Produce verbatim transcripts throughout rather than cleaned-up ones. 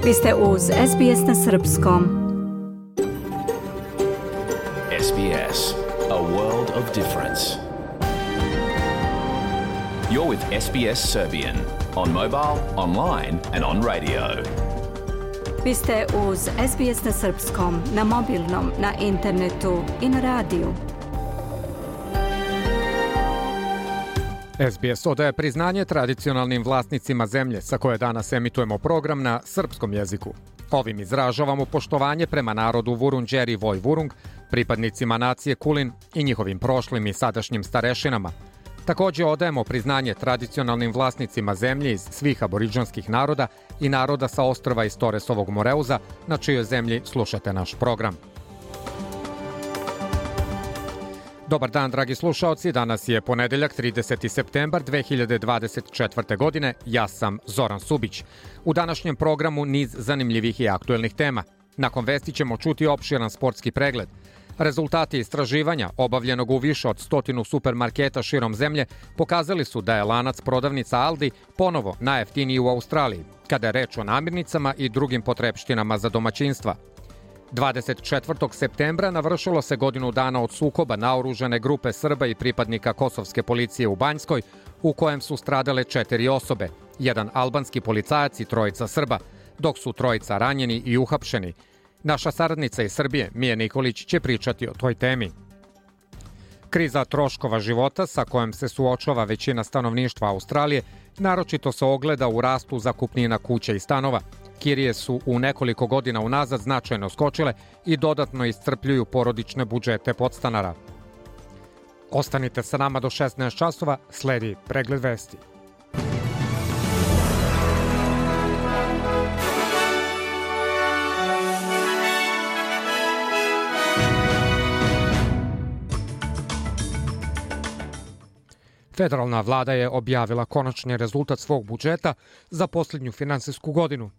Vi ste uz S B S na srpskom. S B S, a world of difference. You're with S B S Serbian on mobile, online and on radio. Vi ste uz S B S na srpskom, na mobilnom, na internetu i na radiju. S B S odaje priznanje tradicionalnim vlasnicima zemlje sa koje danas emitujemo program na srpskom jeziku. Ovim izražavamo poštovanje prema narodu Vurundjeri Voj Vurung, pripadnicima nacije Kulin i njihovim prošlim i sadašnjim starešinama. Također odajemo priznanje tradicionalnim vlasnicima zemlje iz svih aboriđanskih naroda i naroda sa ostrva iz Toresovog Moreuza, na čijoj zemlji slušate naš program. Dobar dan, dragi slušaoci, danas je ponedeljak, trideseti septembar dve hiljade dvadeset četvrte. godine, ja sam Zoran Subić. U današnjem programu niz zanimljivih i aktuelnih tema. Nakon vesti ćemo čuti opširan sportski pregled. Rezultati istraživanja, obavljenog u više od stotinu supermarketa širom zemlje, pokazali su da je lanac prodavnica Aldi ponovo najjeftiniji u Australiji, kada je reč o namirnicama i drugim potrepštinama za domaćinstva. dvadeset četvrtog septembra navršilo se godinu dana od sukoba naoružane grupe Srba i pripadnika kosovske policije u Banjskoj, u kojem su stradale četiri osobe, jedan albanski policajac i trojica Srba, dok su trojica ranjeni i uhapšeni. Naša saradnica iz Srbije, Mija Nikolić, će pričati o toj temi. Kriza troškova života sa kojom se suočava većina stanovništva Australije naročito se ogleda u rastu zakupnina kuća i stanova. Kirije su u nekoliko godina unazad značajno skočile i dodatno iscrpljuju porodične budžete podstanara. Ostanite sa nama do šesnaest časova, sledi pregled vesti. Federalna vlada je objavila konačni rezultat svog budžeta za posljednju finansijsku godinu.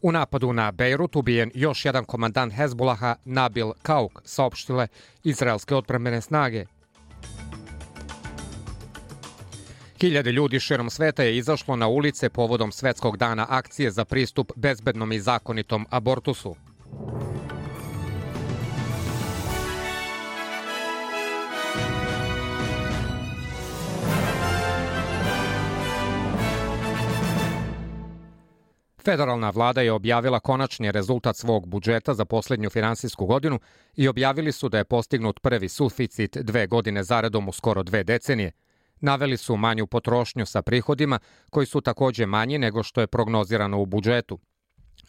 U napadu na Bejrut ubijen još jedan komandant Hezbolaha, Nabil Kauk, saopštile izraelske odbrambene snage. Hiljade ljudi širom sveta je izašlo na ulice povodom Svetskog dana akcije za pristup bezbednom i zakonitom abortusu. Federalna vlada je objavila konačni rezultat svog budžeta za posljednju finansijsku godinu i objavili su da je postignut prvi suficit dve godine zaredom u skoro dve decenije. Naveli su manju potrošnju sa prihodima, koji su također manji nego što je prognozirano u budžetu.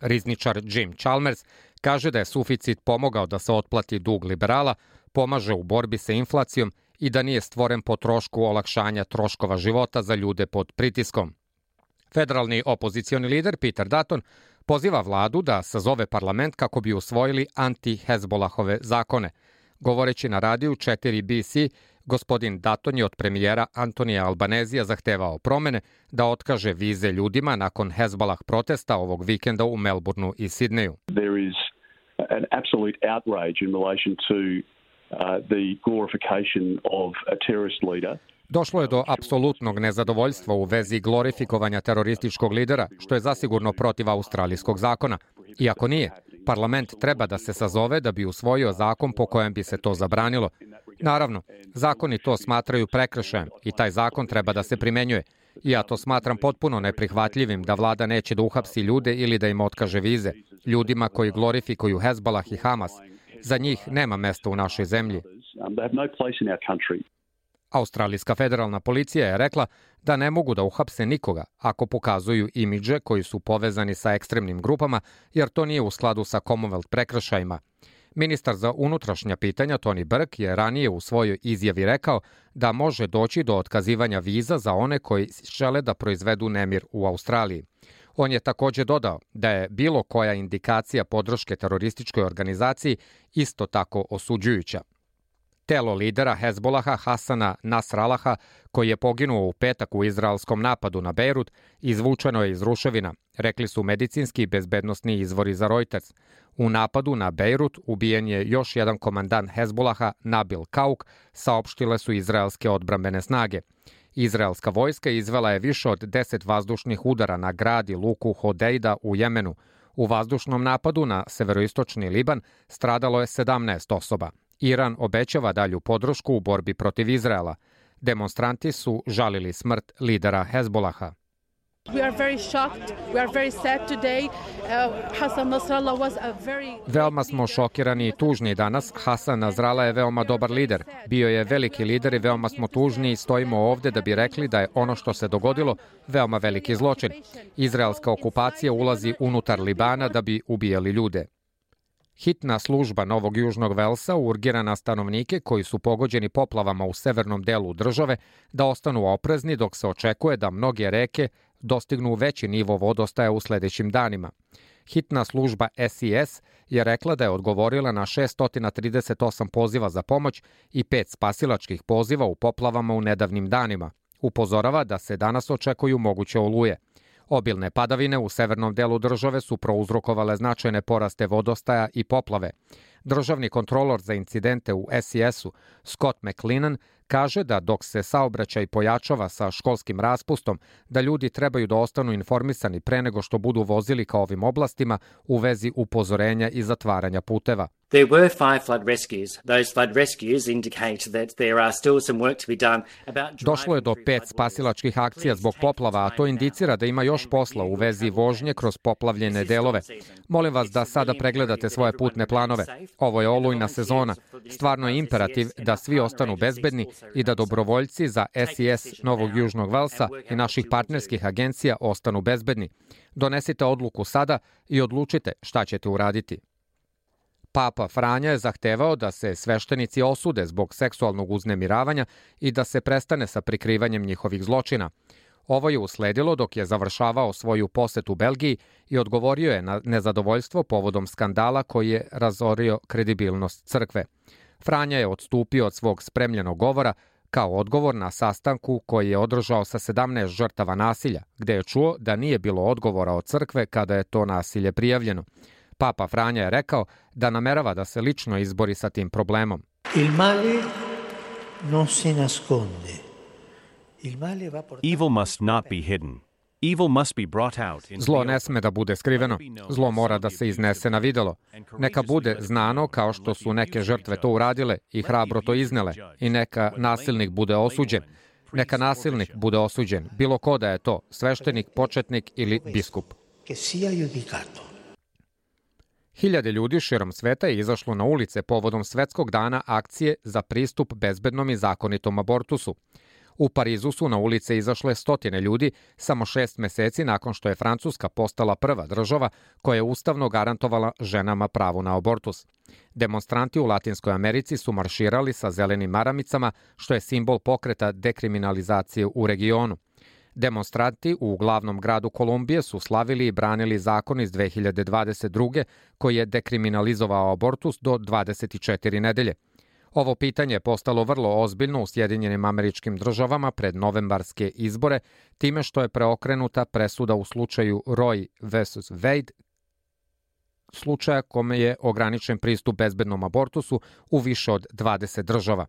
Rizničar Jim Chalmers kaže da je suficit pomogao da se otplati dug liberala, pomaže u borbi sa inflacijom i da nije stvoren po trošku olakšanja troškova života za ljude pod pritiskom. Federalni opozicioni lider Peter Dutton poziva vladu da sazove parlament kako bi usvojili anti-Hezbolahove zakone. Govoreći na radiju četiri B C, gospodin Dutton je od premijera Antonija Albanezija zahtevao promene, da otkaže vize ljudima nakon Hezbolah protesta ovog vikenda u Melbourneu i Sidneju. There is an absolute outrage in relation to uh, the glorification of a terrorist leader. Došlo je do apsolutnog nezadovoljstva u vezi glorifikovanja terorističkog lidera, što je zasigurno protiv australijskog zakona. Iako nije, parlament treba da se sazove da bi usvojio zakon po kojem bi se to zabranilo. Naravno, zakoni to smatraju prekršajem i taj zakon treba da se primenjuje. I ja to smatram potpuno neprihvatljivim da vlada neće da uhapsi ljude ili da im otkaže vize. Ljudima koji glorifikuju Hezbolah i Hamas. Za njih nema mesta u našoj zemlji. Australijska federalna policija je rekla da ne mogu da uhapse nikoga ako pokazuju imidže koji su povezani sa ekstremnim grupama, jer to nije u skladu sa Commonwealth prekršajima. Ministar za unutrašnja pitanja Tony Burke je ranije u svojoj izjavi rekao da može doći do otkazivanja viza za one koji žele da proizvedu nemir u Australiji. On je također dodao da je bilo koja indikacija podrške terorističkoj organizaciji isto tako osuđujuća. Telo lidera Hezbolaha Hasana Nasrallaha, koji je poginuo u petak u izraelskom napadu na Bejrut, izvučeno je iz ruševina, rekli su medicinski i bezbednosni izvori za Reuters. U napadu na Bejrut ubijen je još jedan komandant Hezbolaha, Nabil Kauk, saopštile su izraelske odbrambene snage. Izraelska vojska izvela je više od deset vazdušnih udara na grad i luku Hodeida u Jemenu. U vazdušnom napadu na severoistočni Liban stradalo je sedamnaest osoba. Iran obećava dalju podršku u borbi protiv Izraela. Demonstranti su žalili smrt lidera Hezbolaha. We are very shocked. We are very sad today. Uh, Hassan Nasrallah was a very... Veoma smo šokirani i tužni danas. Hasan Nasrallah je veoma dobar lider. Bio je veliki lider i veoma smo tužni i stojimo ovde da bi rekli da je ono što se dogodilo veoma veliki zločin. Izraelska okupacija ulazi unutar Libana da bi ubijali ljude. Hitna služba Novog Južnog Velsa urgira na stanovnike koji su pogođeni poplavama u severnom delu države da ostanu oprezni dok se očekuje da mnoge reke dostignu veći nivo vodostaja u sledećim danima. Hitna služba S I S je rekla da je odgovorila na šessto trideset osam poziva za pomoć i pet spasilačkih poziva u poplavama u nedavnim danima. Upozorava da se danas očekuju moguće oluje. Obilne padavine u severnom delu države su prouzrokovale značajne poraste vodostaja i poplave. Državni kontrolor za incidente u S I S-u, Scott McLennan, kaže da dok se saobraćaj pojačava sa školskim raspustom, da ljudi trebaju da ostanu informisani pre nego što budu vozili ka ovim oblastima u vezi upozorenja i zatvaranja puteva. There were five flood rescues. Those flood rescues indicate that there are still some work to be done about... Došlo je do pet spasilačkih akcija zbog poplava, a to indicira da ima još posla u vezi vožnje kroz poplavljene delove. Molim vas da sada pregledate svoje putne planove. Ovo je olujna sezona. Stvarno je imperativ da svi ostanu bezbedni i da dobrovoljci za S I S Novog Južnog Velsa i naših partnerskih agencija ostanu bezbedni. Donesite odluku sada i odlučite šta ćete uraditi. Papa Franja je zahtevao da se sveštenici osude zbog seksualnog uznemiravanja i da se prestane sa prikrivanjem njihovih zločina. Ovo je usledilo dok je završavao svoju posetu Belgiji i odgovorio je na nezadovoljstvo povodom skandala koji je razorio kredibilnost crkve. Franja je odstupio od svog spremljenog govora kao odgovor na sastanku koji je održao sa sedamnaest žrtava nasilja, gde je čuo da nije bilo odgovora od crkve kada je to nasilje prijavljeno. Papa Franja je rekao da namerava da se lično izbori sa tim problemom. Il male non si nasconde. Il male va portato... Evil must not be hidden. Evil must be brought out. Zlo ne sme da bude skriveno. Zlo mora da se iznese na videlo. Neka bude znano kao što su neke žrtve to uradile i hrabro to iznele. I neka nasilnik bude osuđen. Neka nasilnik bude osuđen. Bilo ko da je to, sveštenik, početnik ili biskup. Che sia giudicato. Hiljade ljudi širom sveta je izašlo na ulice povodom Svetskog dana akcije za pristup bezbednom i zakonitom abortusu. U Parizu su na ulice izašle stotine ljudi samo šest meseci nakon što je Francuska postala prva država koja je ustavno garantovala ženama pravo na abortus. Demonstranti u Latinskoj Americi su marširali sa zelenim maramicama, što je simbol pokreta dekriminalizacije u regionu. Demonstranti u glavnom gradu Kolumbije su slavili i branili zakon iz dve hiljade dvadeset druge koji je dekriminalizovao abortus do dvadeset četiri nedelje. Ovo pitanje je postalo vrlo ozbiljno u Sjedinjenim Američkim Državama pred novembarske izbore, time što je preokrenuta presuda u slučaju Roe versus Wade, slučaja kome je ograničen pristup bezbednom abortusu u više od dvadeset država.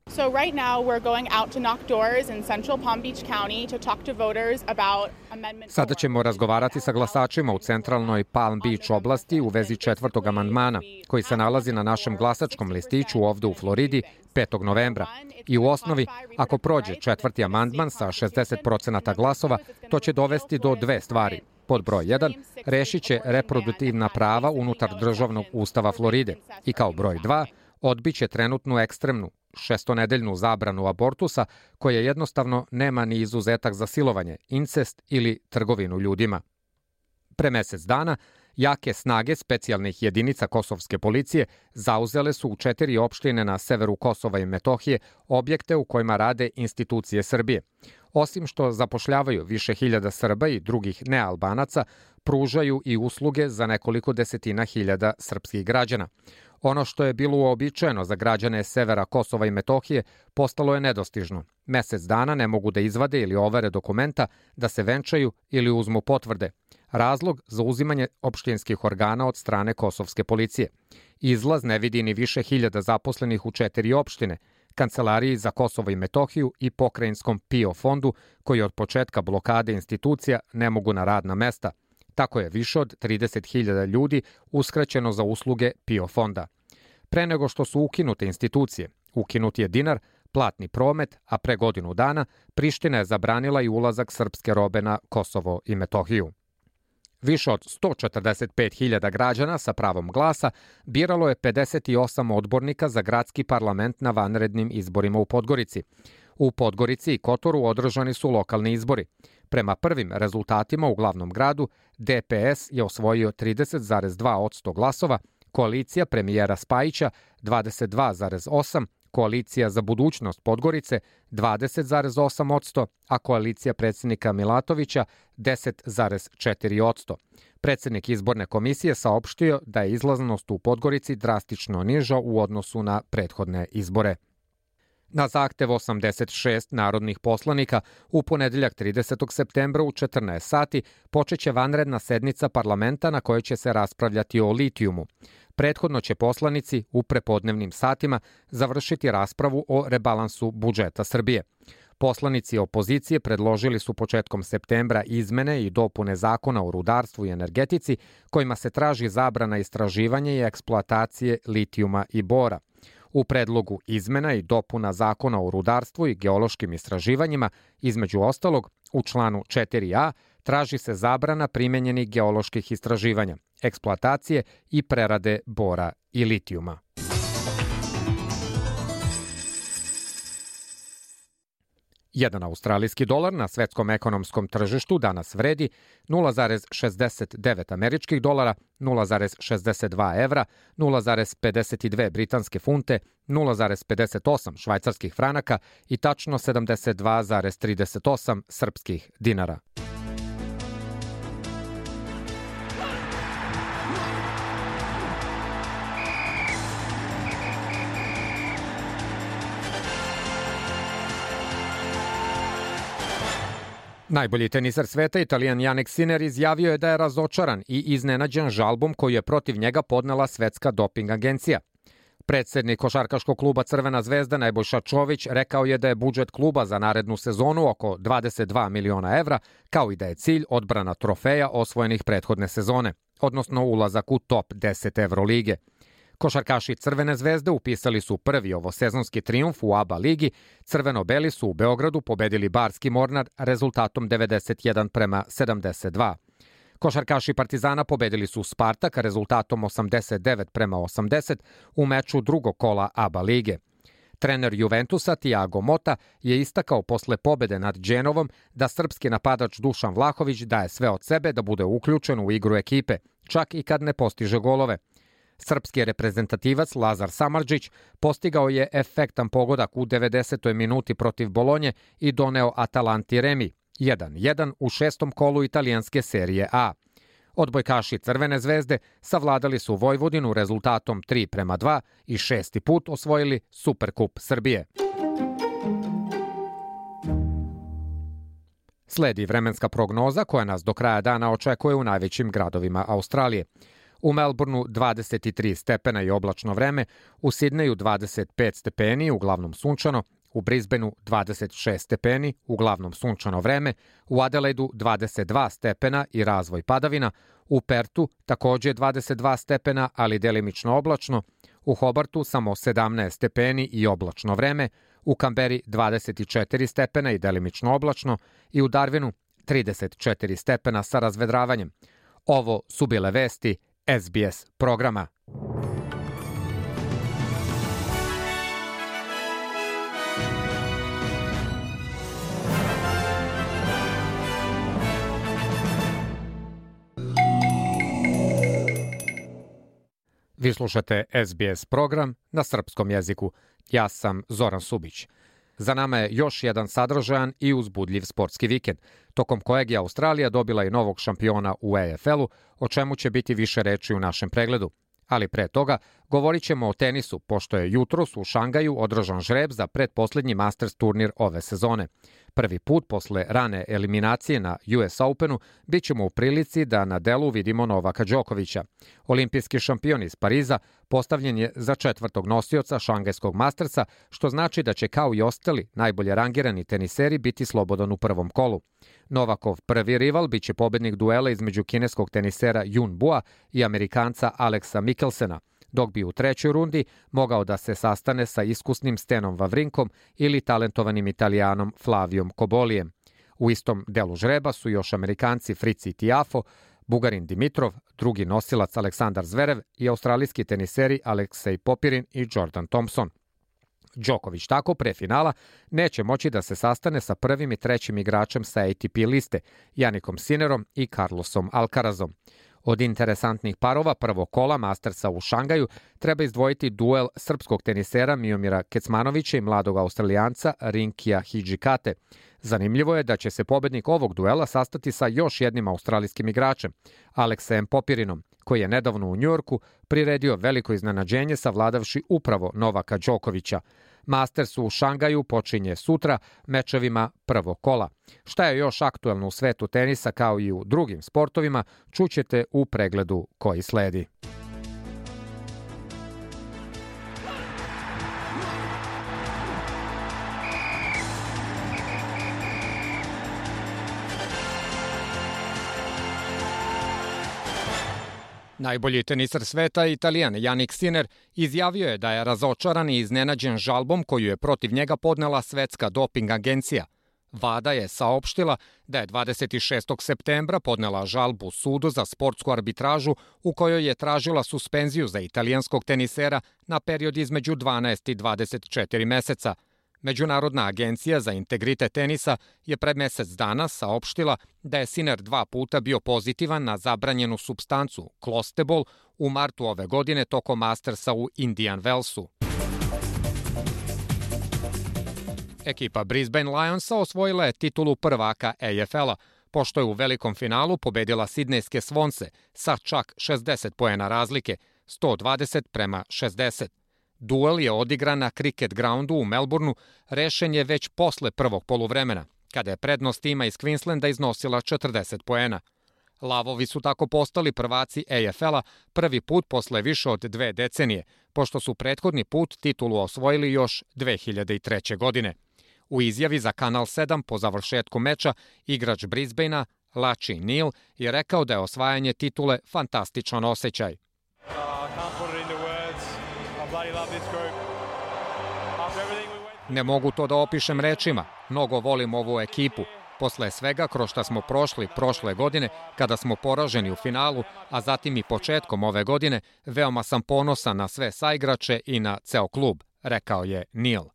So right now we're going out to knock doors in Central Palm Beach County to talk to voters about amendment. Sada ćemo razgovarati sa glasačima u centralnoj Palm Beach oblasti u vezi četvrtog amandmana, koji se nalazi na našem glasačkom listiću ovde u Floridi petog novembra. I u osnovi, ako prođe četvrti amandman sa šezdeset procenata glasova, to će dovesti do dve stvari. Pod broj jedan, rešit će reproduktivna prava unutar državnog ustava Floride. I kao broj dva, odbiće trenutnu ekstremnu šestonedeljnu zabranu abortusa koja jednostavno nema ni izuzetak za silovanje, incest ili trgovinu ljudima. Pre mesec dana, jake snage specijalnih jedinica kosovske policije zauzele su u četiri opštine na severu Kosova i Metohije objekte u kojima rade institucije Srbije. Osim što zapošljavaju više hiljada Srba i drugih nealbanaca, pružaju i usluge za nekoliko desetina hiljada srpskih građana. Ono što je bilo uobičajeno za građane severa Kosova i Metohije postalo je nedostižno. Mesec dana ne mogu da izvade ili overe dokumenta, da se venčaju ili uzmu potvrde. Razlog za uzimanje opštinskih organa od strane kosovske policije. Izlaz ne vidi ni više hiljada zaposlenih u četiri opštine, Kancelariji za Kosovo i Metohiju i pokrajinskom P I O fondu, koji od početka blokade institucija ne mogu na radna mesta. Tako je više od trideset hiljada ljudi uskraćeno za usluge P I O fonda. Pre nego što su ukinute institucije, ukinut je dinar, platni promet, a pre godinu dana Priština je zabranila i ulazak srpske robe na Kosovo i Metohiju. Više od sto četrdeset pet hiljada građana sa pravom glasa biralo je pedeset osam odbornika za gradski parlament na vanrednim izborima u Podgorici. U Podgorici i Kotoru održani su lokalni izbori. Prema prvim rezultatima u glavnom gradu, D P S je osvojio trideset zarez dva posto glasova, koalicija premijera Spajića dvadeset dva zarez osam posto, koalicija za budućnost Podgorice dvadeset zarez osam posto, a koalicija predsjednika Milatovića deset zarez četiri posto. Predsjednik izborne komisije saopštio da je izlaznost u Podgorici drastično niža u odnosu na prethodne izbore. Na zahtev osamdeset šest narodnih poslanika u ponedeljak tridesetog septembra u četrnaest sati počeće vanredna sednica parlamenta na kojoj će se raspravljati o litijumu. Prethodno će poslanici u prepodnevnim satima završiti raspravu o rebalansu budžeta Srbije. Poslanici opozicije predložili su početkom septembra izmene i dopune zakona o rudarstvu i energetici kojima se traži zabrana istraživanja i eksploatacije litijuma i bora. U predlogu izmena i dopuna zakona o rudarstvu i geološkim istraživanjima, između ostalog, u članu četiri a traži se zabrana primenjenih geoloških istraživanja, eksploatacije i prerade bora i litijuma. Jedan australijski dolar na svetskom ekonomskom tržištu danas vredi nula zarez šezdeset devet američkih dolara, nula zarez šezdeset dva evra, nula zarez pedeset dve britanske funte, nula zarez pedeset osam švajcarskih franaka i tačno sedamdeset dva zarez trideset osam srpskih dinara. Najbolji teniser sveta, Italijan Jannik Sinner, izjavio je da je razočaran i iznenađen žalbom koju je protiv njega podnela Svetska doping agencija. Predsednik košarkaškog kluba Crvena zvezda Nebojša Čović rekao je da je budžet kluba za narednu sezonu oko dvadeset dva miliona evra, kao i da je cilj odbrana trofeja osvojenih prethodne sezone, odnosno ulazak u top deset Evrolige. Košarkaši Crvene zvezde upisali su prvi ovosezonski trijumf u A B A ligi, crveno-beli su u Beogradu pobedili Barski Mornar rezultatom devedeset jedan prema sedamdeset dva. Košarkaši Partizana pobedili su Spartak rezultatom osamdeset devet prema osamdeset u meču drugog kola A B A lige. Trener Juventusa Thiago Motta je istakao posle pobede nad Dženovom da srpski napadač Dušan Vlahović daje sve od sebe da bude uključen u igru ekipe, čak i kad ne postiže golove. Srpski reprezentativac Lazar Samardžić postigao je efektan pogodak u devedesetoj minuti protiv Bolonje i doneo Atalanti remi jedan jedan u šestom kolu italijanske serije A. Odbojkaši Crvene zvezde savladali su Vojvodinu rezultatom tri prema dva i šesti put osvojili Superkup Srbije. Sledi vremenska prognoza koja nas do kraja dana očekuje u najvećim gradovima Australije. U Melbourneu dvadeset tri stepena i oblačno vreme, u Sidneju dvadeset pet stepeni, uglavnom sunčano, u Brisbaneu dvadeset šest stepeni, uglavnom sunčano vreme, u Adelaidu dvadeset dva stepena i razvoj padavina, u Pertu takođe dvadeset dva stepena, ali delimično oblačno, u Hobartu samo sedamnaest stepeni i oblačno vreme, u Kamberi dvadeset četiri stepena i delimično oblačno i u Darwinu trideset četiri stepena sa razvedravanjem. Ovo su bile vesti S B S programa. Vi slušate S B S program na srpskom jeziku. Ja sam Zoran Subić. Za nama je još jedan sadržajan i uzbudljiv sportski vikend, tokom kojeg je Australija dobila i novog šampiona u A F L-u, o čemu će biti više reči u našem pregledu. Ali pre toga govorit ćemo o tenisu, pošto je jutros u Šangaju održan žreb za pretposlednji Masters turnir ove sezone. Prvi put posle rane eliminacije na U S Openu bit ćemo u prilici da na delu vidimo Novaka Đokovića. Olimpijski šampion iz Pariza postavljen je za četvrtog nosioca Šangajskog Mastersa, što znači da će kao i ostali najbolje rangirani teniseri biti slobodan u prvom kolu. Novakov prvi rival biće pobednik duela između kineskog tenisera Yun Bua i Amerikanca Alexa Mikkelsena, dok bi u trećoj rundi mogao da se sastane sa iskusnim Stenom Wawrinkom ili talentovanim Italijanom Flavijom Kobolijem. U istom delu žreba su još Amerikanci Fritz Tiafo, Bugarin Dimitrov, drugi nosilac Aleksandar Zverev i australijski teniseri Aleksej Popirin i Jordan Thompson. Đoković tako pre finala neće moći da se sastane sa prvim i trećim igračem sa A T P liste, Janikom Sinerom i Carlosom Alcarazom. Od interesantnih parova prvog kola Mastersa u Šangaju treba izdvojiti duel srpskog tenisera Miomira Kecmanovića i mladog Australijanca Rinkija Hidžikate. Zanimljivo je da će se pobednik ovog duela sastati sa još jednim australijskim igračem, Aleksejem Popirinom, koji je nedavno u Njujorku priredio veliko iznenađenje savladavši upravo Novaka Đokovića. Masters u Šangaju počinje sutra mečevima prvog kola. Šta je još aktuelno u svetu tenisa kao i u drugim sportovima, čućete u pregledu koji sledi. Najbolji tenisar sveta, Italijan Jannik Sinner, izjavio je da je razočaran i iznenađen žalbom koju je protiv njega podnela Svetska doping agencija. WADA je saopštila da je dvadeset šestog septembra podnela žalbu sudu za sportsku arbitražu u kojoj je tražila suspenziju za italijanskog tenisera na period između dvanaest i dvadeset četiri meseca. Međunarodna agencija za integritet tenisa je pred mesec dana saopštila da je Sinner dva puta bio pozitivan na zabranjenu supstancu klostebol u martu ove godine tokom Mastersa u Indian Wellsu. Ekipa Brisbane Lionsa osvojila je titulu prvaka A F L-a, pošto je u velikom finalu pobedila sidnejske Svonse sa čak šezdeset poena razlike, sto dvadeset prema šezdeset. Duel je odigran na Cricket Groundu u Melbourneu, rešen je već posle prvog poluvremena, kada je prednost tima iz Queenslanda iznosila četrdeset poena. Lavovi su tako postali prvaci A F L-a prvi put posle više od dve decenije, pošto su prethodni put titulu osvojili još dve hiljade treće. godine. U izjavi za Kanal sedam po završetku meča, igrač Brisbanea, Laci Neal, je rekao da je osvajanje titule fantastičan osjećaj. Ne mogu to da opišem rečima, mnogo volim ovu ekipu. Posle svega kroz šta smo prošli prošle godine, kada smo poraženi u finalu, a zatim i početkom ove godine, veoma sam ponosan na sve saigrače i na ceo klub, rekao je Neal.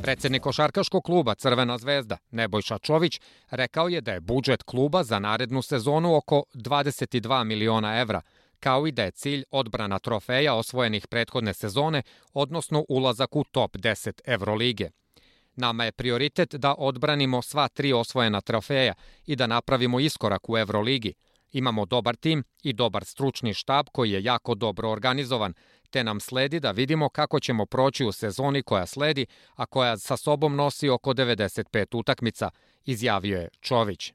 Predsednik košarkaškog kluba Crvena zvezda, Nebojša Čović, rekao je da je budžet kluba za narednu sezonu oko dvadeset dva miliona evra, kao i da je cilj odbrana trofeja osvojenih prethodne sezone, odnosno ulazak u top deset Evrolige. Nama je prioritet da odbranimo sva tri osvojena trofeja i da napravimo iskorak u Evroligi. Imamo dobar tim i dobar stručni štab koji je jako dobro organizovan, te nam sledi da vidimo kako ćemo proći u sezoni koja sledi, a koja sa sobom nosi oko devedeset pet utakmica, izjavio je Čović.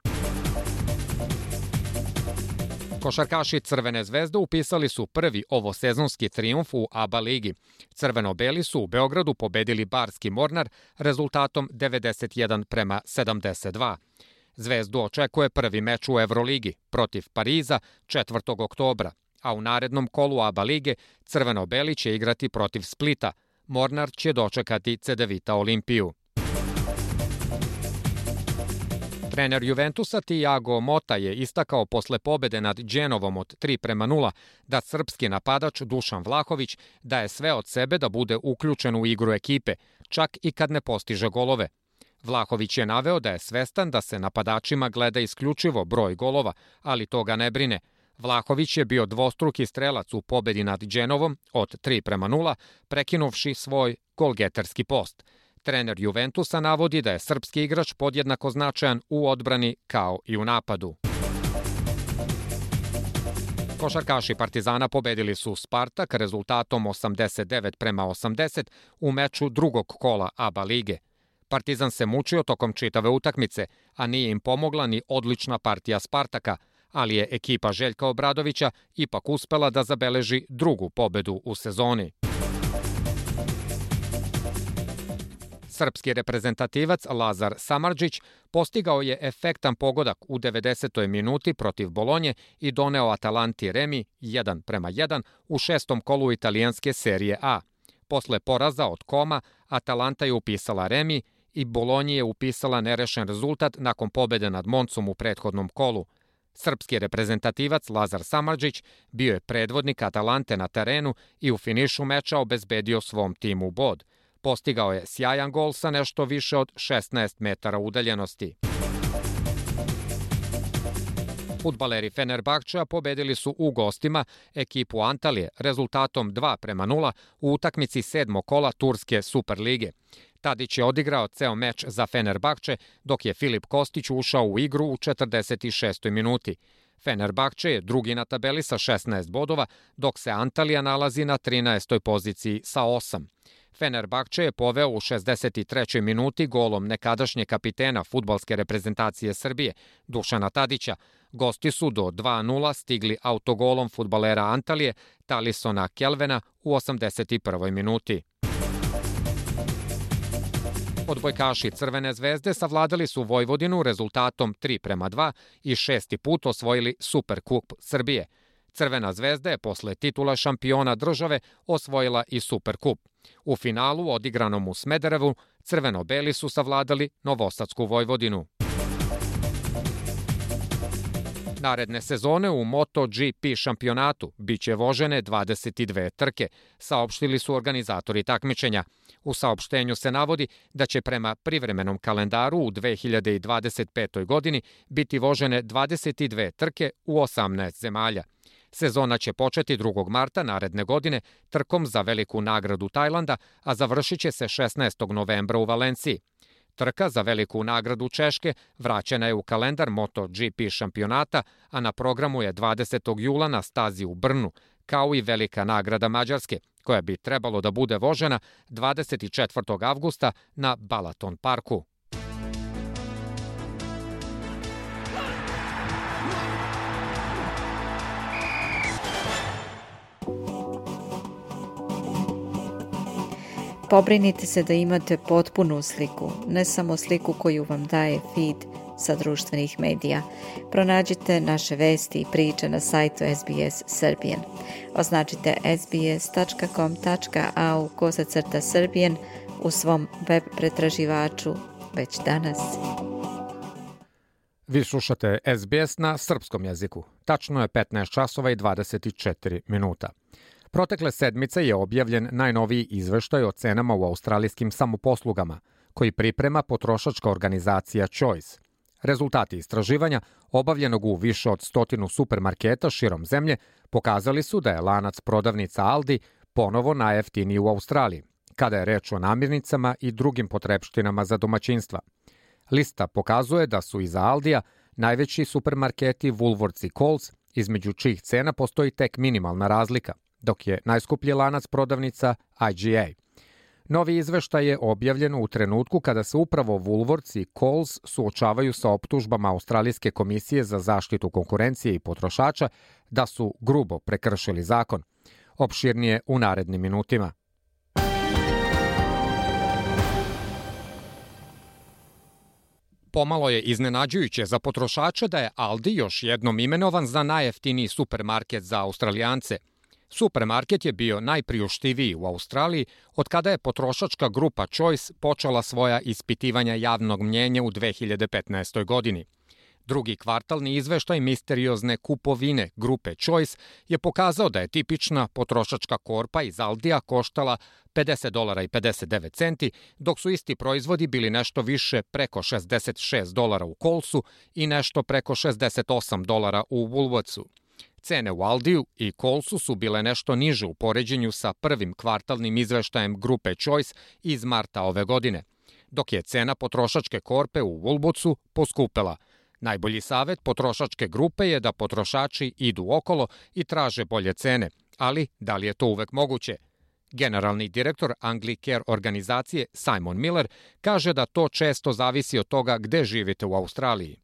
Košarkaši Crvene zvezde upisali su prvi ovosezonski trijumf u A B A ligi. Crveno-beli su u Beogradu pobedili Barski Mornar rezultatom devedeset jedan prema sedamdeset dva. Zvezdu očekuje prvi meč u Evroligi protiv Pariza četvrtog oktobra, a u narednom kolu A B A lige Crveno-beli će igrati protiv Splita. Mornar će dočekati Cedevita Olimpiju. Trener Juventusa Thiago Motta je istakao posle pobede nad Genovom od tri prema nula da srpski napadač Dušan Vlahović daje sve od sebe da bude uključen u igru ekipe, čak i kad ne postiže golove. Vlahović je naveo da je svestan da se napadačima gleda isključivo broj golova, ali to ga ne brine. Vlahović je bio dvostruki strelac u pobedi nad Genovom od tri prema nula, prekinuvši svoj golgeterski post. Trener Juventusa navodi da je srpski igrač podjednako značajan u odbrani kao i u napadu. Košarkaši Partizana pobedili su Spartak rezultatom osamdeset devet prema osamdeset u meču drugog kola A B A lige. Partizan se mučio tokom čitave utakmice, a nije im pomogla ni odlična partija Spartaka, ali je ekipa Željka Obradovića ipak uspela da zabeleži drugu pobedu u sezoni. Srpski reprezentativac Lazar Samardžić postigao je efektan pogodak u devedesetoj minuti protiv Bolonje i doneo Atalanti remi jedan prema jedan u šestom kolu italijanske serije A. Posle poraza od Koma, Atalanta je upisala remi i Bolonji je upisala nerešen rezultat nakon pobede nad Moncom u prethodnom kolu. Srpski reprezentativac Lazar Samardžić bio je predvodnik Atalante na terenu i u finišu meča obezbedio svom timu bod. Postigao je sjajan gol sa nešto više od šesnaest metara udaljenosti. Fudbaleri Fenerbahčea pobedili su u gostima ekipu Antalije rezultatom dva prema nula u utakmici sedmog kola Turske Superlige. Tadić je odigrao ceo meč za Fenerbahče, dok je Filip Kostić ušao u igru u četrdeset šestoj minuti. Fenerbahče je drugi na tabeli sa šesnaest bodova, dok se Antalija nalazi na trinaestoj poziciji sa osam. Fenerbahče je poveo u šezdeset trećoj minuti golom nekadašnje kapitena fudbalske reprezentacije Srbije, Dušana Tadića. Gosti su do dva nula stigli autogolom fudbalera Antalije, Talisona Kelvena u osamdeset prvoj minuti. Odbojkaši Crvene zvezde savladali su Vojvodinu rezultatom tri prema dva i šesti put osvojili Superkup Srbije. Crvena zvezda je posle titula šampiona države osvojila i Superkup. U finalu, odigranom u Smederevu, crveno-beli su savladali Novosadsku Vojvodinu. Naredne sezone u MotoGP šampionatu biće vožene dvadeset dve trke, saopštili su organizatori takmičenja. U saopštenju se navodi da će prema privremenom kalendaru u dve hiljade dvadeset petoj godini biti vožene dvadeset dve trke u osamnaest zemalja. Sezona će početi drugog marta naredne godine trkom za veliku nagradu Tajlanda, a završit će se šesnaestog novembra u Valenciji. Trka za veliku nagradu Češke vraćena je u kalendar MotoGP šampionata, a na programu je dvadesetog jula na stazi u Brnu, kao i velika nagrada Mađarske, koja bi trebalo da bude vožena dvadeset četvrtog avgusta na Balaton parku. Pobrinite se da imate potpunu sliku, ne samo sliku koju vam daje feed sa društvenih medija. Pronađite naše vesti i priče na sajtu S B S Serbian. Označite sbs.com.au kosacrta Serbian u svom web pretraživaču već danas. Vi slušate S B S na srpskom jeziku. Tačno je petnaest časova i dvadeset četiri minuta. Protekle sedmice je objavljen najnoviji izveštaj o cenama u australijskim samoposlugama, koji priprema potrošačka organizacija Choice. Rezultati istraživanja, obavljenog u više od stotinu supermarketa širom zemlje, pokazali su da je lanac prodavnica Aldi ponovo najjeftiniji u Australiji, kada je reč o namirnicama i drugim potrepštinama za domaćinstva. Lista pokazuje da su iza Aldija najveći supermarketi Woolworths i Coles, između čijih cena postoji tek minimalna razlika, dok je najskuplji lanac prodavnica I G A. Novi izveštaj je objavljen u trenutku kada se upravo Woolworths i Coles suočavaju sa optužbama Australijske komisije za zaštitu konkurencije i potrošača da su grubo prekršili zakon. Opširnije u narednim minutima. Pomalo je iznenađujuće za potrošača da je Aldi još jednom imenovan za najjeftiniji supermarket za Australijance. Supermarket je bio najpriuštiviji u Australiji od kada je potrošačka grupa Choice počela svoja ispitivanja javnog mnjenja u dve hiljade petnaestoj godini. Drugi kvartalni izveštaj misteriozne kupovine grupe Choice je pokazao da je tipična potrošačka korpa iz Aldija koštala pedeset dolara i pedeset devet centi, dok su isti proizvodi bili nešto više preko šezdeset šest dolara u Colesu i nešto preko šezdeset osam dolara u Woolworthsu. Cene u Aldiju i Colesu su bile nešto niže u poređenju sa prvim kvartalnim izveštajem grupe Choice iz marta ove godine, dok je cena potrošačke korpe u Woolworthsu poskupela. Najbolji savjet potrošačke grupe je da potrošači idu okolo i traže bolje cene, ali da li je to uvek moguće? Generalni direktor Anglicare organizacije Simon Miller kaže da to često zavisi od toga gde živite u Australiji.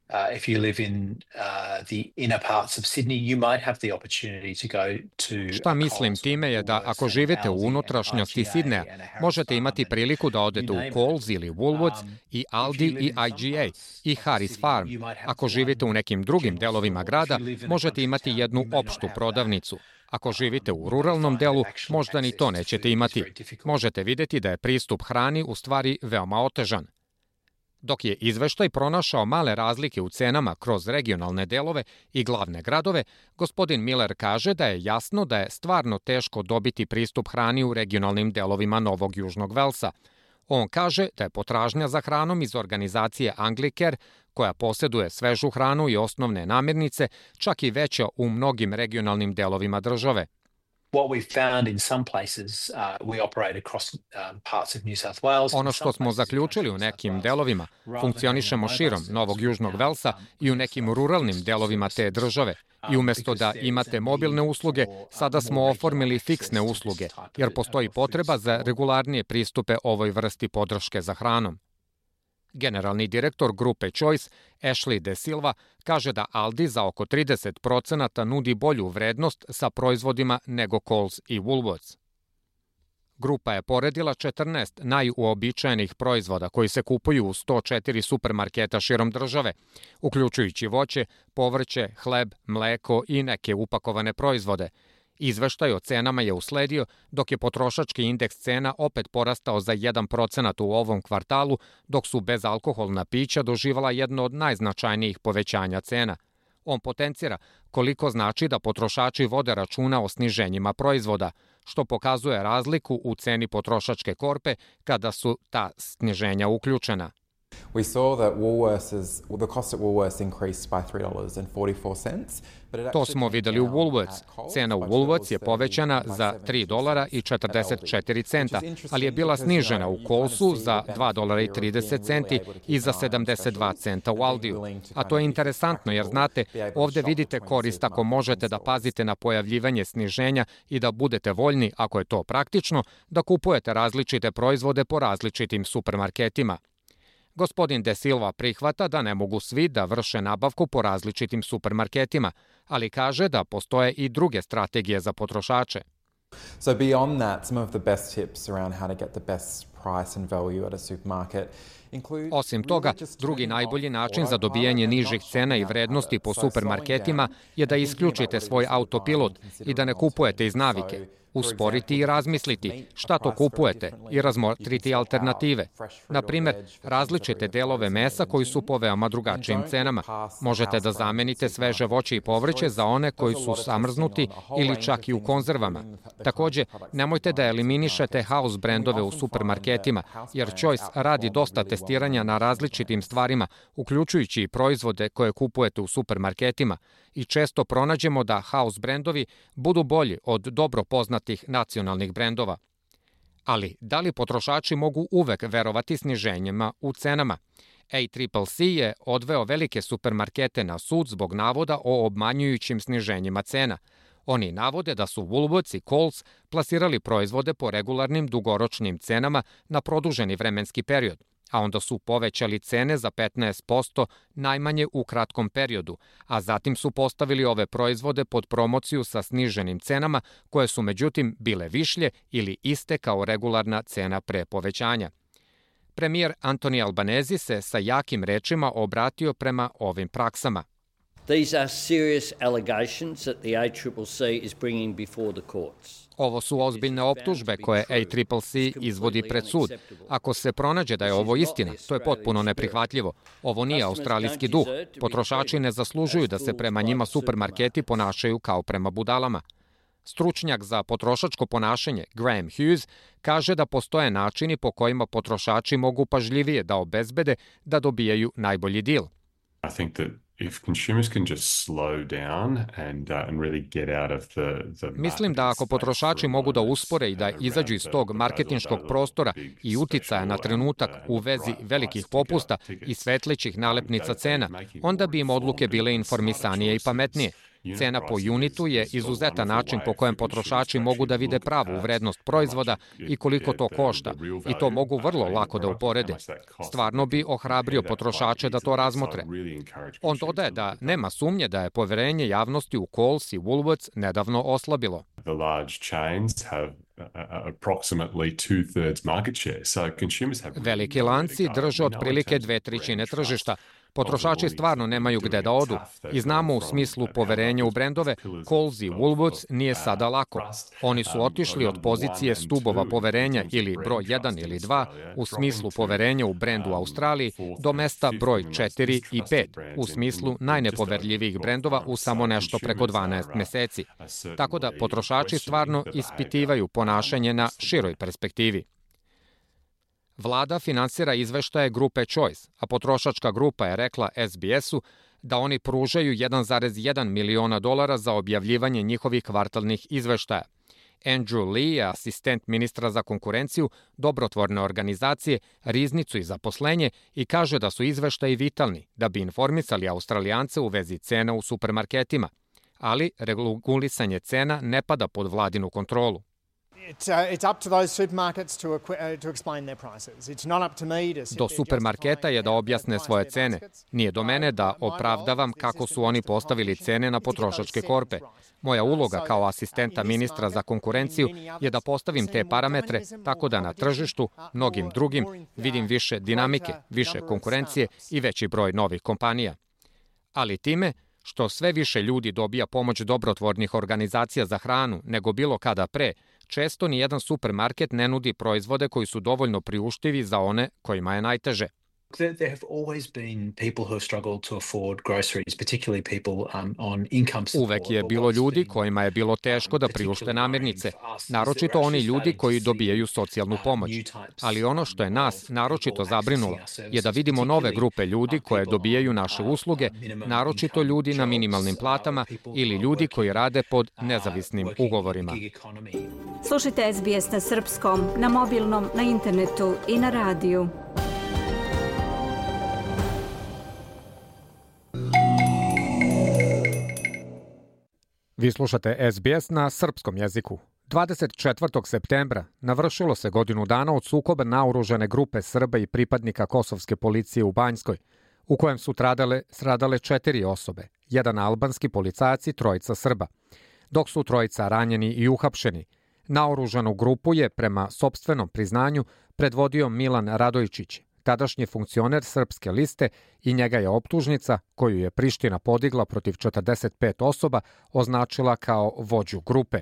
Uh, if you live in uh, the inner parts of Sydney, you might have the opportunity to go to... Šta mislim time je da ako živite u unutrašnjosti Sidneja, možete imati priliku da odete u Coles ili Woolworths i Aldi i I G A i Harris Farm. Ako živite u nekim drugim delovima grada, možete imati jednu opštu prodavnicu. Ako živite u ruralnom delu, možda ni to nećete imati. Možete videti da je pristup hrani u stvari veoma otežan. Dok je izveštaj pronašao male razlike u cenama kroz regionalne delove i glavne gradove, gospodin Miller kaže da je jasno da je stvarno teško dobiti pristup hrani u regionalnim delovima Novog Južnog Velsa. On kaže da je potražnja za hranom iz organizacije Anglicare, koja posjeduje svežu hranu i osnovne namirnice, čak i veća u mnogim regionalnim delovima države. Ono što smo zaključili u nekim delovima, funkcionišemo širom Novog Južnog Velsa i u nekim ruralnim delovima te države. I umesto da imate mobilne usluge, sada smo oformili fiksne usluge, jer postoji potreba za regularnije pristupe ovoj vrsti podrške za hranom. Generalni direktor grupe Choice, Ashley De Silva, kaže da Aldi za oko trideset procenata nudi bolju vrednost sa proizvodima nego Coles i Woolworths. Grupa je poredila četrnaest najuobičajenih proizvoda koji se kupuju u sto četiri supermarketa širom države, uključujući voće, povrće, hleb, mleko i neke upakovane proizvode. Izveštaj o cenama je usledio, dok je potrošački indeks cena opet porastao za jedan procenat u ovom kvartalu, dok su bezalkoholna pića doživala jedno od najznačajnijih povećanja cena. On potencira koliko znači da potrošači vode računa o sniženjima proizvoda, što pokazuje razliku u ceni potrošačke korpe kada su ta sniženja uključena. We saw that Woolworths, the cost at Woolworths increased by three dollars and forty-four cents. To smo videli u Woolworths. Cena u Woolworths je povećana za tri dolara i četrdeset četiri centa, ali je bila snižena u Colesu za dva dolara i trideset centi i za sedamdeset dva centa u Aldiju. A to je interesantno jer znate, ovde vidite korist ako možete da pazite na pojavljivanje sniženja i da budete voljni, ako je to praktično, da kupujete različite proizvode po različitim supermarketima. Gospodin De Silva prihvata da ne mogu svi da vrše nabavku po različitim supermarketima, ali kaže da postoje i druge strategije za potrošače. So beyond that, some of the best tips around how to get the best price and value at a supermarket. Osim toga, drugi najbolji način za dobijanje nižih cena i vrednosti po supermarketima je da isključite svoj autopilot i da ne kupujete iz navike. Usporiti i razmisliti šta to kupujete i razmotriti alternative. Na primer, različite delove mesa koji su po veoma drugačijim cenama. Možete da zamenite sveže voće i povrće za one koji su zamrznuti ili čak i u konzervama. Takođe, nemojte da eliminišete house brendove u supermarketima, jer Choice radi dosta testiranja na različitim stvarima, uključujući i proizvode koje kupujete u supermarketima, i često pronađemo da house brendovi budu bolji od dobro poznatih nacionalnih brendova. Ali, da li potrošači mogu uvek verovati sniženjima u cenama? A C C C je odveo velike supermarkete na sud zbog navoda o obmanjujućim sniženjima cena. Oni navode da su Woolworths i Coles plasirali proizvode po regularnim dugoročnim cenama na produženi vremenski period, a onda su povećali cene za petnaest posto najmanje u kratkom periodu, a zatim su postavili ove proizvode pod promociju sa sniženim cenama, koje su međutim bile višlje ili iste kao regularna cena pre povećanja. Premijer Anthony Albanese se sa jakim rečima obratio prema ovim praksama. These are serious allegations that the A C C C is bringing before the courts. Ovo su ozbiljne optužbe koje A C C C izvodi pred sud. Ako se pronađe da je ovo istina, to je potpuno neprihvatljivo. Ovo nije australijski duh. Potrošači ne zaslužuju da se prema njima supermarketi ponašaju kao prema budalama. Stručnjak za potrošačko ponašanje Graham Hughes kaže da postoje načini po kojima potrošači mogu pažljivije da obezbede da dobijaju najbolji dil. I think that If consumers can just slow down and uh, and really get out of the the Mislim da ako potrošači mogu da uspore i da izađu iz tog marketinškog prostora i uticaja na trenutak u vezi velikih popusta i svetlećih nalepnica cena, onda bi im odluke bile informisanije i pametnije. Cena po unitu je izuzetan način po kojem potrošači mogu da vide pravu vrednost proizvoda i koliko to košta, i to mogu vrlo lako da uporede. Stvarno bi ohrabrio potrošače da to razmotre. On dodaje da nema sumnje da je poverenje javnosti u Coles i Woolworths nedavno oslabilo. The large chains have approximately two-thirds market share. So consumers have Veliki lanci drže otprilike dve trećine tržišta. Potrošači stvarno nemaju gde da odu i znamo u smislu poverenja u brendove, Coles i Woolworths nije sada lako. Oni su otišli od pozicije stubova poverenja ili broj jedan ili dva u smislu poverenja u brendu u Australiji do mesta broj četiri i pet u smislu najnepoverljivijih brendova u samo nešto preko dvanaest meseci. Tako da potrošači stvarno ispitivaju ponašanje na široj perspektivi. Vlada finansira izveštaje grupe Choice, a potrošačka grupa je rekla S B S-u da oni pružaju jedan zarez jedan miliona dolara za objavljivanje njihovih kvartalnih izveštaja. Andrew Lee je asistent ministra za konkurenciju, dobrotvorne organizacije, riznicu i zaposlenje i kaže da su izveštaji vitalni da bi informisali Australijance u vezi cena u supermarketima. Ali regulisanje cena ne pada pod vladinu kontrolu. Do supermarketa je da objasne svoje cene. Nije do mene da opravdavam kako su oni postavili cene na potrošačke korpe. Moja uloga kao asistenta ministra za konkurenciju je da postavim te parametre tako da na tržištu, mnogim drugim, vidim više dinamike, više konkurencije i veći broj novih kompanija. Ali time što sve više ljudi dobija pomoć dobrotvornih organizacija za hranu nego bilo kada pre, često ni jedan supermarket ne nudi proizvode koji su dovoljno priuštivi za one kojima je najteže. There have always been people who have struggled to afford groceries, particularly people um, on income support. Uvek je bilo ljudi kojima je bilo teško da priušte namirnice, naročito oni ljudi koji dobijaju socijalnu pomoć. Ali ono što je nas naročito zabrinulo je da vidimo nove grupe ljudi koje dobijaju naše usluge, naročito ljudi na minimalnim platama ili ljudi koji rade pod nezavisnim ugovorima. Slušajte S B S na srpskom, na mobilnom, na internetu i na radiju. Vi slušate S B S na srpskom jeziku. dvadeset četvrtog septembra navršilo se godinu dana od sukoba naoružane grupe Srba i pripadnika kosovske policije u Banjskoj, u kojem su stradale, stradale četiri osobe, jedan albanski policajac i trojica Srba, dok su trojica ranjeni i uhapšeni. Naoružanu grupu je, prema sopstvenom priznanju, predvodio Milan Radojčić, tadašnji funkcioner Srpske liste, i njega je optužnica, koju je Priština podigla protiv četrdeset pet osoba, označila kao vođu grupe.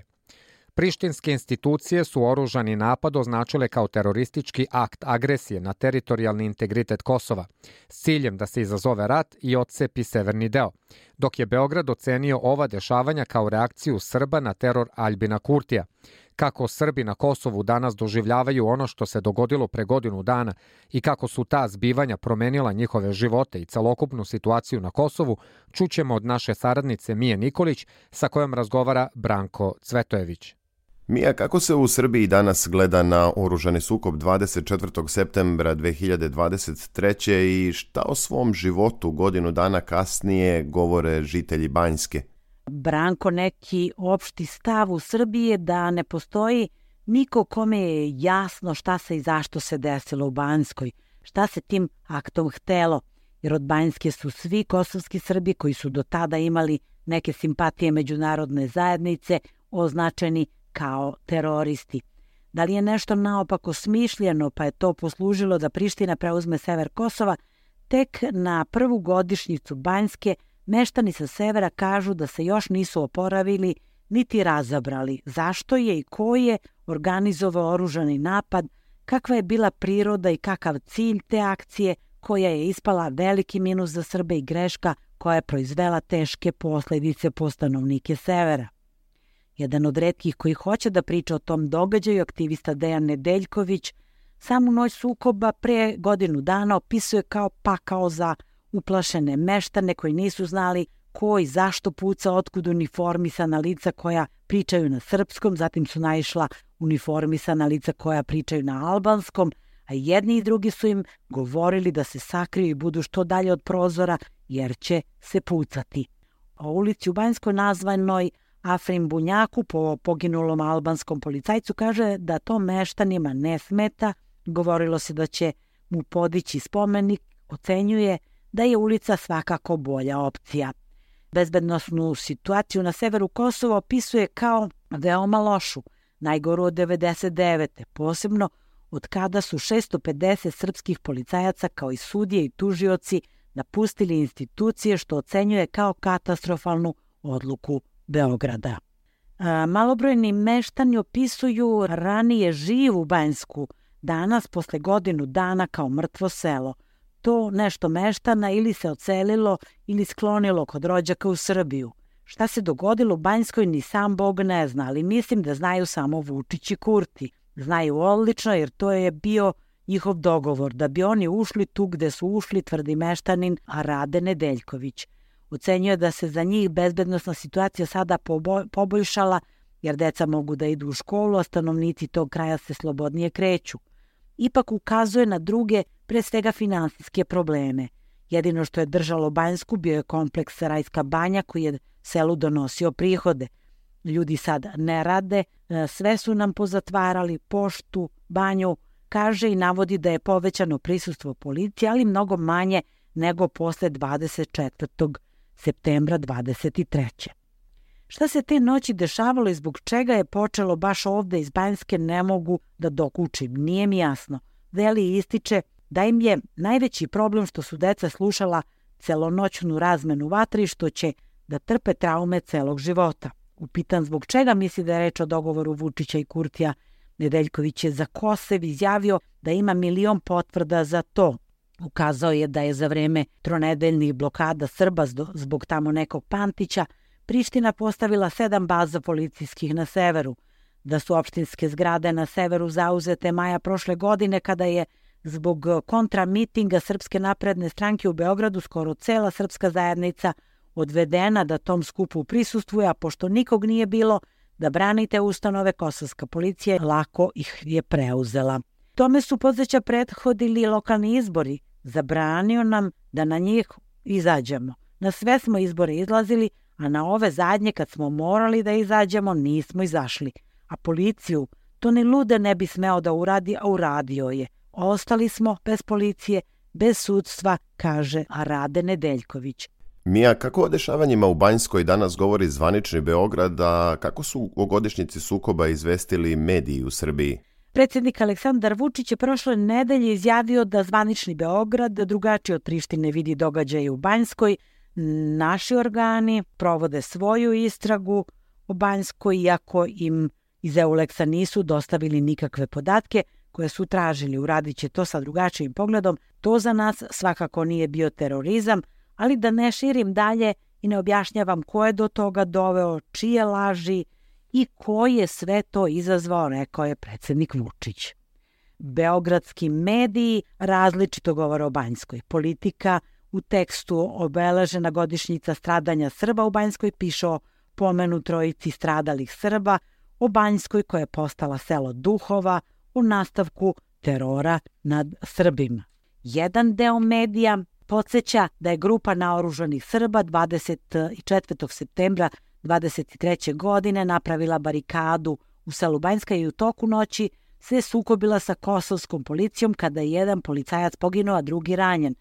Prištinske institucije su oružani napad označile kao teroristički akt agresije na teritorijalni integritet Kosova, s ciljem da se izazove rat i otcepi severni deo, dok je Beograd ocenio ova dešavanja kao reakciju Srba na teror Aljbina Kurtija. Kako Srbi na Kosovu danas doživljavaju ono što se dogodilo pre godinu dana i kako su ta zbivanja promenila njihove živote i celokupnu situaciju na Kosovu, čućemo od naše saradnice Mije Nikolić, sa kojom razgovara Branko Cvetojević. Mija, kako se u Srbiji danas gleda na oružani sukob dvadeset četvrtog septembra dve hiljade dvadeset treće i šta o svom životu godinu dana kasnije govore žitelji Banjske? Branko, neki opšti stav u Srbiji je da ne postoji niko kome je jasno šta se i zašto se desilo u Banjskoj, šta se tim aktom htelo, jer od Banjske su svi kosovski Srbi koji su do tada imali neke simpatije međunarodne zajednice označeni kao teroristi. Da li je nešto naopako smišljeno pa je to poslužilo da Priština preuzme sever Kosova, tek na prvu godišnjicu Banjske meštani sa severa kažu da se još nisu oporavili niti razabrali zašto je i ko je organizovao oružani napad, kakva je bila priroda i kakav cilj te akcije, koja je ispala veliki minus za Srbe i greška koja je proizvela teške posledice po stanovnike severa. Jedan od retkih koji hoće da priča o tom događaju, aktivista Dejan Nedeljković, samu noć sukoba pre godinu dana opisuje kao pakao za uplašene meštane koji nisu znali ko i zašto puca, otkud uniformisana lica koja pričaju na srpskom, zatim su naišla uniformisana lica koja pričaju na albanskom, a jedni i drugi su im govorili da se sakriju i budu što dalje od prozora jer će se pucati. O ulici u Banjskoj nazvanoj Afrim Bunjaku po poginulom albanskom policajcu kaže da to meštanima ne smeta, govorilo se da će mu podići spomenik, ocenjuje da je ulica svakako bolja opcija. Bezbednosnu situaciju na severu Kosova opisuje kao veoma lošu, najgoru od devedeset devete. Posebno od kada su šesto pedeset srpskih policajaca kao i sudije i tužioci napustili institucije, što ocenjuje kao katastrofalnu odluku Beograda. A, malobrojni meštani opisuju ranije živu Banjsku, danas posle godinu dana kao mrtvo selo. To nešto meštana ili se odselilo ili sklonilo kod rođaka u Srbiju. Šta se dogodilo u Banjskoj ni sam Bog ne zna, ali mislim da znaju samo Vučić i Kurti. Znaju odlično jer to je bio njihov dogovor, da bi oni ušli tu gde su ušli, tvrdi meštanin Rade Nedeljković. Ocenjuje da se za njih bezbednosna situacija sada poboljšala jer deca mogu da idu u školu, a stanovnici tog kraja se slobodnije kreću. Ipak ukazuje na druge, pre svega finansijske probleme. Jedino što je držalo Banjsku bio je kompleks Rajska banja koji je selu donosio prihode. Ljudi sad ne rade, sve su nam pozatvarali, poštu, banju, kaže i navodi da je povećano prisustvo policije, ali mnogo manje nego posle dvadeset četvrtog septembra dvadeset treće. Šta se te noći dešavalo i zbog čega je počelo baš ovde iz Banjske ne mogu da dokučim, nije mi jasno. Veli ističe da im je najveći problem što su deca slušala celonoćnu razmenu vatre i što će da trpe traume celog života. Upitan zbog čega misli da je reč o dogovoru Vučića i Kurtija, Nedeljković je za Kosev izjavio da ima milion potvrda za to. Ukazao je da je za vreme tronedeljnih blokada Srba zbog tamo nekog Pantića Priština postavila sedam baza policijskih na severu, da su opštinske zgrade na severu zauzete maja prošle godine kada je zbog kontramitinga Srpske napredne stranke u Beogradu skoro cela srpska zajednica odvedena da tom skupu prisustvuje, a pošto nikog nije bilo da branite ustanove, kosovska policija lako ih je preuzela. Tome su podsjeća prethodili lokalni izbori, zabranio nam da na njih izađemo. Na sve smo izbore izlazili, a na ove zadnje kad smo morali da izađemo nismo izašli. A policiju to ni lude ne bi smeo da uradi, a uradio je. Ostali smo bez policije, bez sudstva, kaže Rade Nedeljković. Mija, kako o dešavanjima u Banjskoj danas govori zvanični Beograd, a kako su o godišnjici sukoba izvestili mediji u Srbiji? Predsjednik Aleksandar Vučić je prošle nedelje izjavio da zvanični Beograd drugačije od Prištine vidi događaje u Banjskoj. Naši organi provode svoju istragu o Banjskoj, iako im iz Euleksa nisu dostavili nikakve podatke koje su tražili. Uradit će to sa drugačijim pogledom. To za nas svakako nije bio terorizam, ali da ne širim dalje i ne objašnjavam ko je do toga doveo, čije laži i ko je sve to izazvao, rekao je predsjednik Vučić. Beogradski mediji različito govore o Banjskoj. Politika u tekstu obeležena godišnjica stradanja Srba u Banjskoj piše o pomenu trojici stradalih Srba, o Banjskoj koja je postala selo duhova, u nastavku terora nad Srbima. Jedan deo medija podsjeća da je grupa naoružanih Srba dvadeset četvrtog septembra dvadeset treće godine napravila barikadu u selu Banjska i u toku noći se sukobila sa kosovskom policijom kada je jedan policajac poginuo, a drugi ranjen.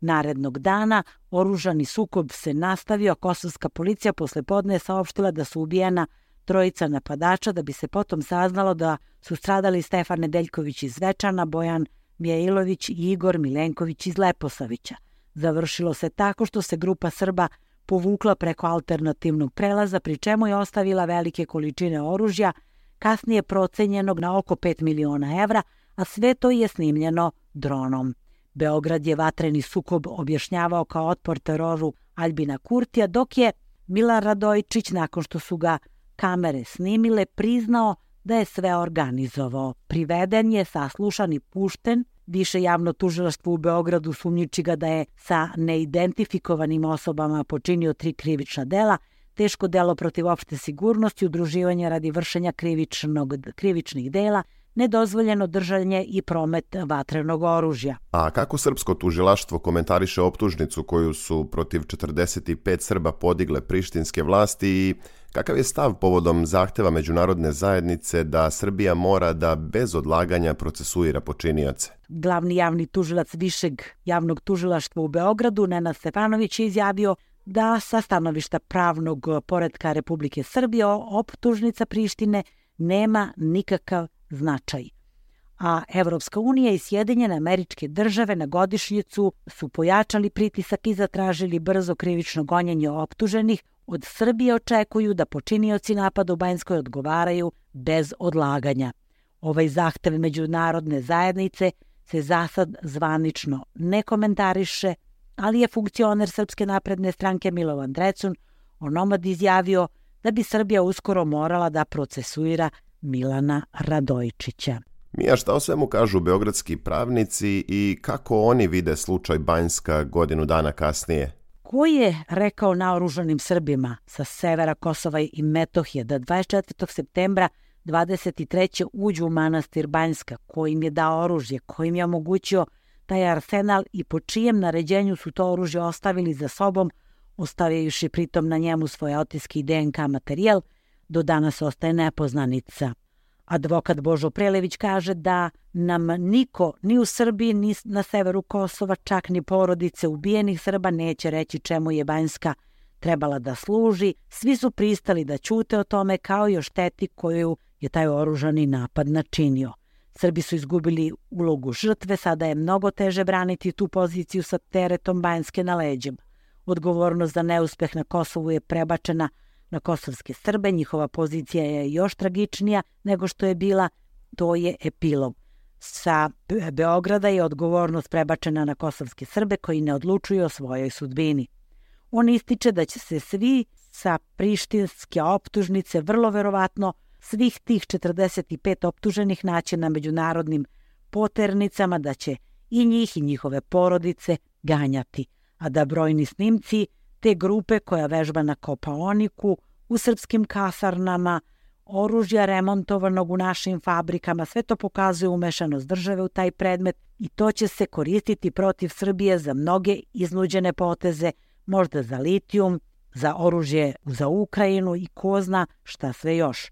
Narednog dana oružani sukob se nastavio, a kosovska policija posle podne je saopštila da su ubijena trojica napadača, da bi se potom saznalo da su stradali Stefan Nedeljković iz Zvečana, Bojan Mijailović i Igor Milenković iz Leposavića. Završilo se tako što se grupa Srba povukla preko alternativnog prelaza, pri čemu je ostavila velike količine oružja, kasnije procenjenog na oko pet miliona evra, a sve to je snimljeno dronom. Beograd je vatreni sukob objašnjavao kao otpor teroru Aljbina Kurtija, dok je Milan Radojičić, nakon što su ga kamere snimile, priznao da je sve organizovao. Priveden je, saslušan i pušten Više javno tužilaštvo u Beogradu sumnjiči ga da je sa neidentifikovanim osobama počinio tri krivična dela, teško delo protiv opšte sigurnosti, udruživanje radi vršenja krivičnog, krivičnih dela, nedozvoljeno držanje i promet vatrenog oružja. A kako srpsko tužilaštvo komentariše optužnicu koju su protiv četrdeset pet Srba podigle prištinske vlasti i kakav je stav povodom zahteva međunarodne zajednice da Srbija mora da bez odlaganja procesuira počinioce? Glavni javni tužilac Višeg javnog tužilaštva u Beogradu, Nenad Stefanović, je izjavio da sa stanovišta pravnog poretka Republike Srbije optužnica Prištine nema nikakav značaj. A Evropska unija i Sjedinjene Američke Države na godišnjicu su pojačali pritisak i zatražili brzo krivično gonjenje optuženih. Od Srbije očekuju da počinioci napada u Banjskoj odgovaraju bez odlaganja. Ovaj zahtev međunarodne zajednice se zasad zvanično ne komentariše, ali je funkcioner Srpske napredne stranke Milovan Drecun onomad izjavio da bi Srbija uskoro morala da procesuira Milana Radojičića. Mija, šta o svemu kažu beogradski pravnici i kako oni vide slučaj Banjska godinu dana kasnije? Ko je rekao naoružanim Srbima sa severa Kosova i Metohije da dvadeset četvrtog septembra dvadeset treće uđu u manastir Banjska, ko im je dao oružje, ko im je omogućio taj arsenal i po čijem naređenju su to oružje ostavili za sobom, ostavivši pritom na njemu svoje otiske i D N K materijal, do danas ostaje nepoznanica. Advokat Božo Prelević kaže da nam niko ni u Srbiji ni na severu Kosova, čak ni porodice ubijenih Srba, neće reći čemu je Banjska trebala da služi. Svi su pristali da ćute o tome kao i o šteti koju je taj oružani napad načinio. Srbi su izgubili ulogu žrtve, sada je mnogo teže braniti tu poziciju sa teretom Banjske na leđima. Odgovornost za neuspeh na Kosovu je prebačena na kosovske Srbe, njihova pozicija je još tragičnija nego što je bila, to je epilog. Sa Beograda je odgovornost prebačena na kosovske Srbe koji ne odlučuju o svojoj sudbini. On ističe da će se svi sa prištinske optužnice vrlo verovatno svih tih četrdeset pet optuženih naći na međunarodnim poternicama, da će i njih i njihove porodice ganjati, a da brojni snimci te grupe koja vežba na Kopaoniku, u srpskim kasarnama, oružja remontovanog u našim fabrikama, sve to pokazuje umešanost države u taj predmet i to će se koristiti protiv Srbije za mnoge iznuđene poteze, možda za litijum, za oružje za Ukrajinu i ko zna šta sve još.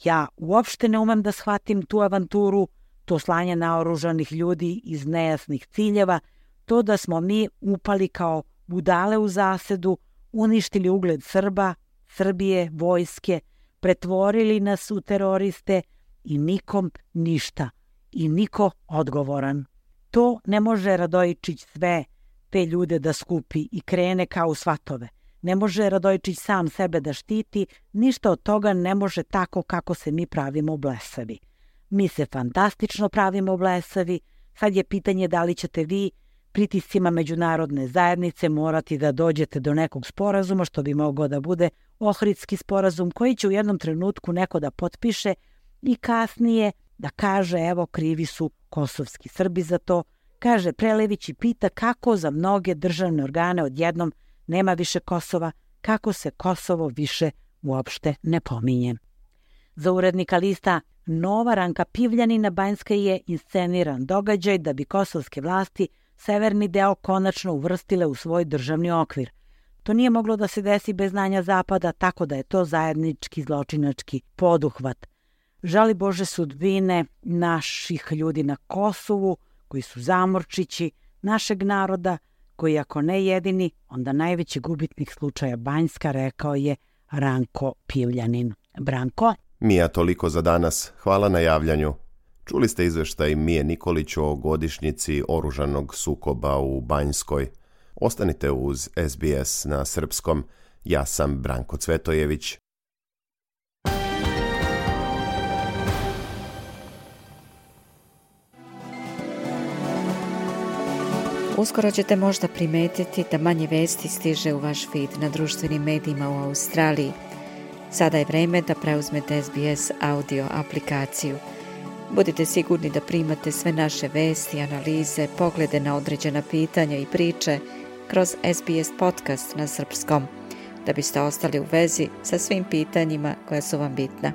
Ja uopšte ne umem da shvatim tu avanturu, to slanje naoružanih ljudi iz nejasnih ciljeva, to da smo mi upali kao budale u zasedu, uništili ugled Srba, Srbije, vojske, pretvorili nas u teroriste i nikom ništa i niko odgovoran. To ne može Radojičić sve te ljude da skupi i krene kao u svatove. Ne može Radojičić sam sebe da štiti, ništa od toga ne može tako kako se mi pravimo blesavi. Mi se fantastično pravimo blesavi, sad je pitanje da li ćete vi pritiscima međunarodne zajednice morati da dođete do nekog sporazuma, što bi mogao da bude Ohridski sporazum, koji će u jednom trenutku neko da potpiše i kasnije da kaže evo krivi su kosovski Srbi za to. Kaže Prelević i pita kako za mnoge državne organe odjednom nema više Kosova, kako se Kosovo više uopšte ne pominje. Za urednika lista Nova Ranka Pivljanina Banjska je insceniran događaj da bi kosovske vlasti severni deo konačno uvrstile u svoj državni okvir. To nije moglo da se desi bez znanja Zapada, tako da je to zajednički zločinački poduhvat. Žali Bože sudbine naših ljudi na Kosovu, koji su zamorčići, našeg naroda, koji ako ne jedini, onda najveći gubitnik slučaja Banjska, rekao je Ranko Pivljanin. Branko? Mija, toliko za danas. Hvala na javljanju. Čuli ste izveštaj Mije Nikolić o godišnjici oružanog sukoba u Banjskoj. Ostanite uz S B S na srpskom. Ja sam Branko Cvetojević. Uskoro ćete možda primetiti da manje vesti stiže u vaš feed na društvenim medijima u Australiji. Sada je vreme da preuzmete S B S audio aplikaciju. Budite sigurni da primate sve naše vesti, analize, poglede na određena pitanja i priče kroz S B S podcast na srpskom, da biste ostali u vezi sa svim pitanjima koja su vam bitna.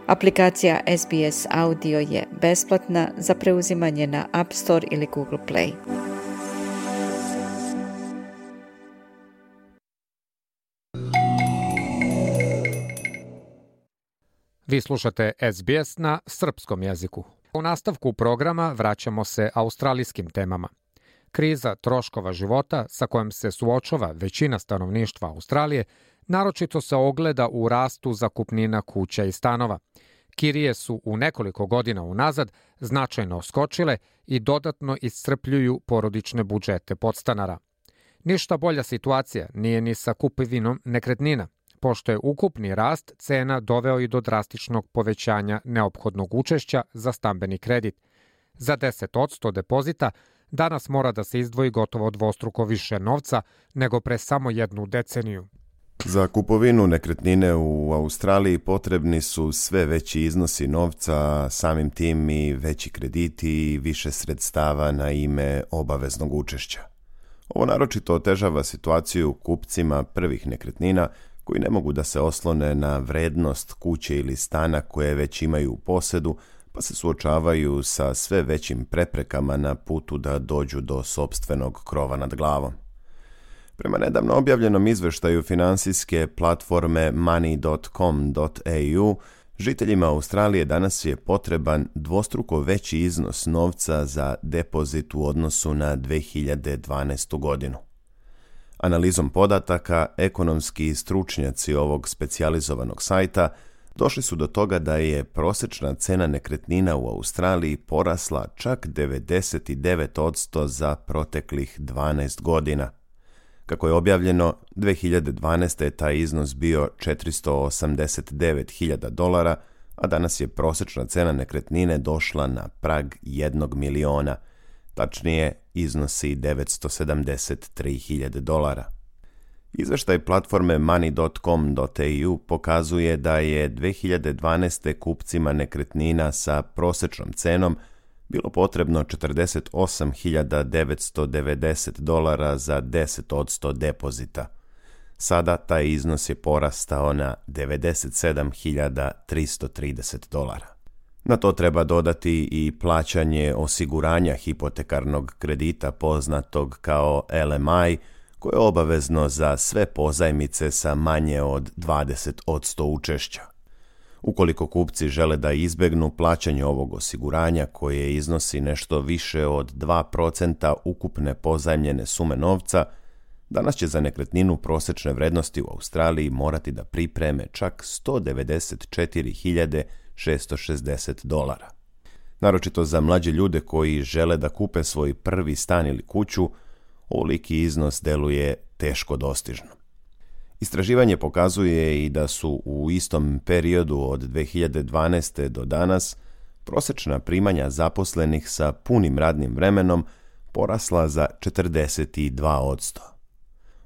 Aplikacija S B S Audio je besplatna za preuzimanje na App Store ili Google Play. Vi slušate S B S na srpskom jeziku. U nastavku programa vraćamo se australijskim temama. Kriza troškova života sa kojom se suočava većina stanovništva Australije naročito se ogleda u rastu zakupnina kuća i stanova. Kirije su u nekoliko godina unazad značajno skočile i dodatno iscrpljuju porodične budžete podstanara. Ništa bolja situacija nije ni sa kupovinom nekretnina, pošto je ukupni rast cena doveo i do drastičnog povećanja neophodnog učešća za stambeni kredit. Za deset posto depozita danas mora da se izdvoji gotovo dvostruko više novca nego pre samo jednu deceniju. Za kupovinu nekretnine u Australiji potrebni su sve veći iznosi novca, samim tim i veći krediti i više sredstava na ime obaveznog učešća. Ovo naročito otežava situaciju kupcima prvih nekretnina koji ne mogu da se oslone na vrednost kuće ili stana koje već imaju u posedu, pa se suočavaju sa sve većim preprekama na putu da dođu do sopstvenog krova nad glavom. Prema nedavno objavljenom izveštaju finansijske platforme money dot com dot a u, žiteljima Australije danas je potreban dvostruko veći iznos novca za depozit u odnosu na dve hiljade dvanaestu. godinu. Analizom podataka, ekonomski stručnjaci ovog specijalizovanog sajta došli su do toga da je prosječna cena nekretnina u Australiji porasla čak devedeset devet posto za proteklih dvanaest godina. Kako je objavljeno, dve hiljade dvanaeste. je taj iznos bio četiristo osamdeset devet hiljada dolara, a danas je prosječna cena nekretnine došla na prag jednog miliona, tačnije iznosi devetsto sedamdeset tri hiljade dolara. Izveštaj platforme money dot com dot a u pokazuje da je dve hiljade dvanaeste. kupcima nekretnina sa prosječnom cenom bilo potrebno četrdeset osam hiljada devetsto devedeset dolara za deset posto depozita. Sada taj iznos je porastao na devedeset sedam hiljada tristo trideset dolara. Na to treba dodati i plaćanje osiguranja hipotekarnog kredita poznatog kao L M I, koje je obavezno za sve pozajmice sa manje od dvadeset posto učešća. Ukoliko kupci žele da izbegnu plaćanje ovog osiguranja koje iznosi nešto više od dva procenta ukupne pozajmljene sume novca, danas će za nekretninu prosječne vrednosti u Australiji morati da pripreme čak sto devedeset četiri hiljade šesto šezdeset dolara. Naročito za mlađe ljude koji žele da kupe svoj prvi stan ili kuću, ovoliki iznos deluje teško dostižno. Istraživanje pokazuje i da su u istom periodu od dve hiljade dvanaeste. do danas prosječna primanja zaposlenih sa punim radnim vremenom porasla za četrdeset dva posto.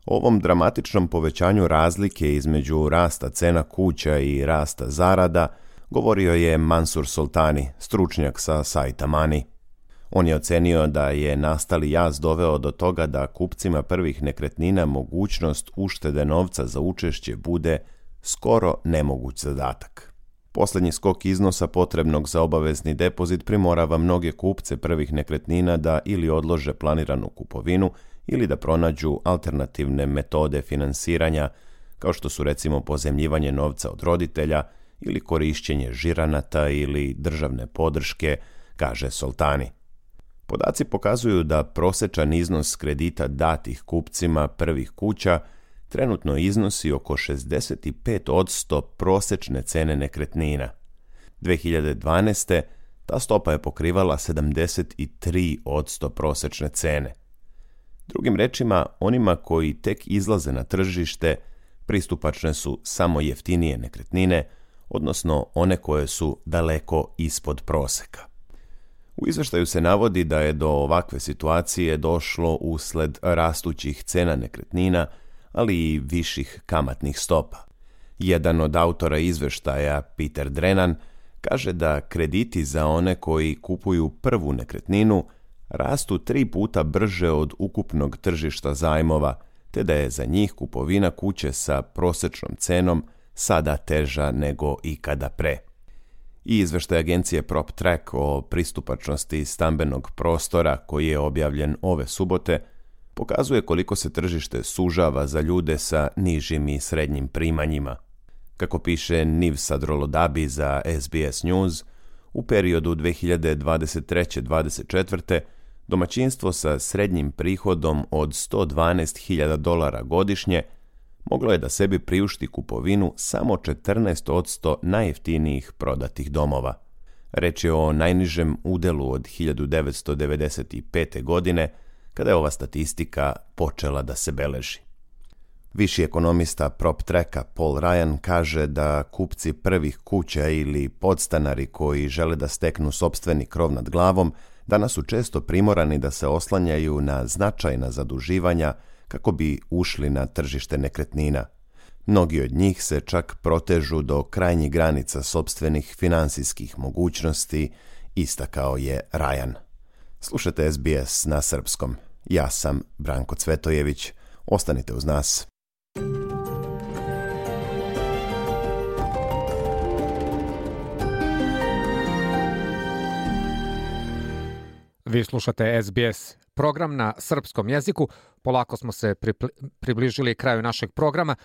O ovom dramatičnom povećanju razlike između rasta cena kuća i rasta zarada govorio je Mansur Soltani, stručnjak sa sajta Money. On je ocenio da je nastali jaz doveo do toga da kupcima prvih nekretnina mogućnost uštede novca za učešće bude skoro nemoguć zadatak. Posljednji skok iznosa potrebnog za obavezni depozit primorava mnoge kupce prvih nekretnina da ili odlože planiranu kupovinu ili da pronađu alternativne metode finansiranja, kao što su recimo pozajmljivanje novca od roditelja ili korišćenje žiranata ili državne podrške, kaže Soltani. Podaci pokazuju da prosječan iznos kredita datih kupcima prvih kuća trenutno iznosi oko šezdeset pet posto prosječne cene nekretnina. dve hiljade dvanaeste. ta stopa je pokrivala sedamdeset tri posto prosječne cene. Drugim rečima, onima koji tek izlaze na tržište pristupačne su samo jeftinije nekretnine, odnosno one koje su daleko ispod proseka. U izveštaju se navodi da je do ovakve situacije došlo usled rastućih cena nekretnina, ali i viših kamatnih stopa. Jedan od autora izveštaja, Peter Drennan, kaže da krediti za one koji kupuju prvu nekretninu rastu tri puta brže od ukupnog tržišta zajmova, te da je za njih kupovina kuće sa prosječnom cenom sada teža nego ikada pre. I izveštaj agencije PropTrack o pristupačnosti stambenog prostora, koji je objavljen ove subote, pokazuje koliko se tržište sužava za ljude sa nižim i srednjim primanjima. Kako piše Niv Sadrolodabi za S B S News, u periodu dve hiljade dvadeset treće do dvadeset četvrte domaćinstvo sa srednjim prihodom od sto dvanaest hiljada dolara godišnje moglo je da sebi priušti kupovinu samo četrnaest posto najjeftinijih prodatih domova. Reč je o najnižem udelu od hiljadu devetsto devedeset pete. godine, kada je ova statistika počela da se beleži. Viši ekonomista PropTracka Paul Ryan kaže da kupci prvih kuća ili podstanari koji žele da steknu sopstveni krov nad glavom danas su često primorani da se oslanjaju na značajna zaduživanja kako bi ušli na tržište nekretnina. Mnogi od njih se čak protežu do krajnjih granica sopstvenih finansijskih mogućnosti, istakao je Ryan. Slušajte S B S na srpskom. Ja sam Branko Cvetojević. Ostanite uz nas. Vi slušate S B S, program na srpskom jeziku. Polako smo se približili kraju našeg programa.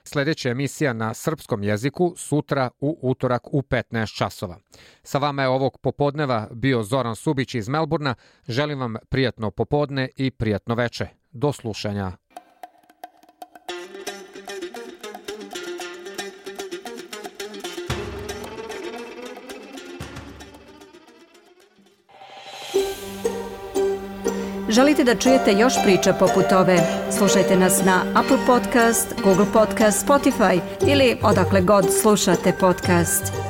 Sljedeća emisija na srpskom jeziku sutra u utorak u petnaest časova. Sa vama je ovog popodneva bio Zoran Subić iz Melburna. Želim vam prijatno popodne i prijatno veče. Do slušanja. Želite da čujete još priča poput ove? Slušajte nas na Apple Podcast, Google Podcast, Spotify ili odakle god slušate podcast.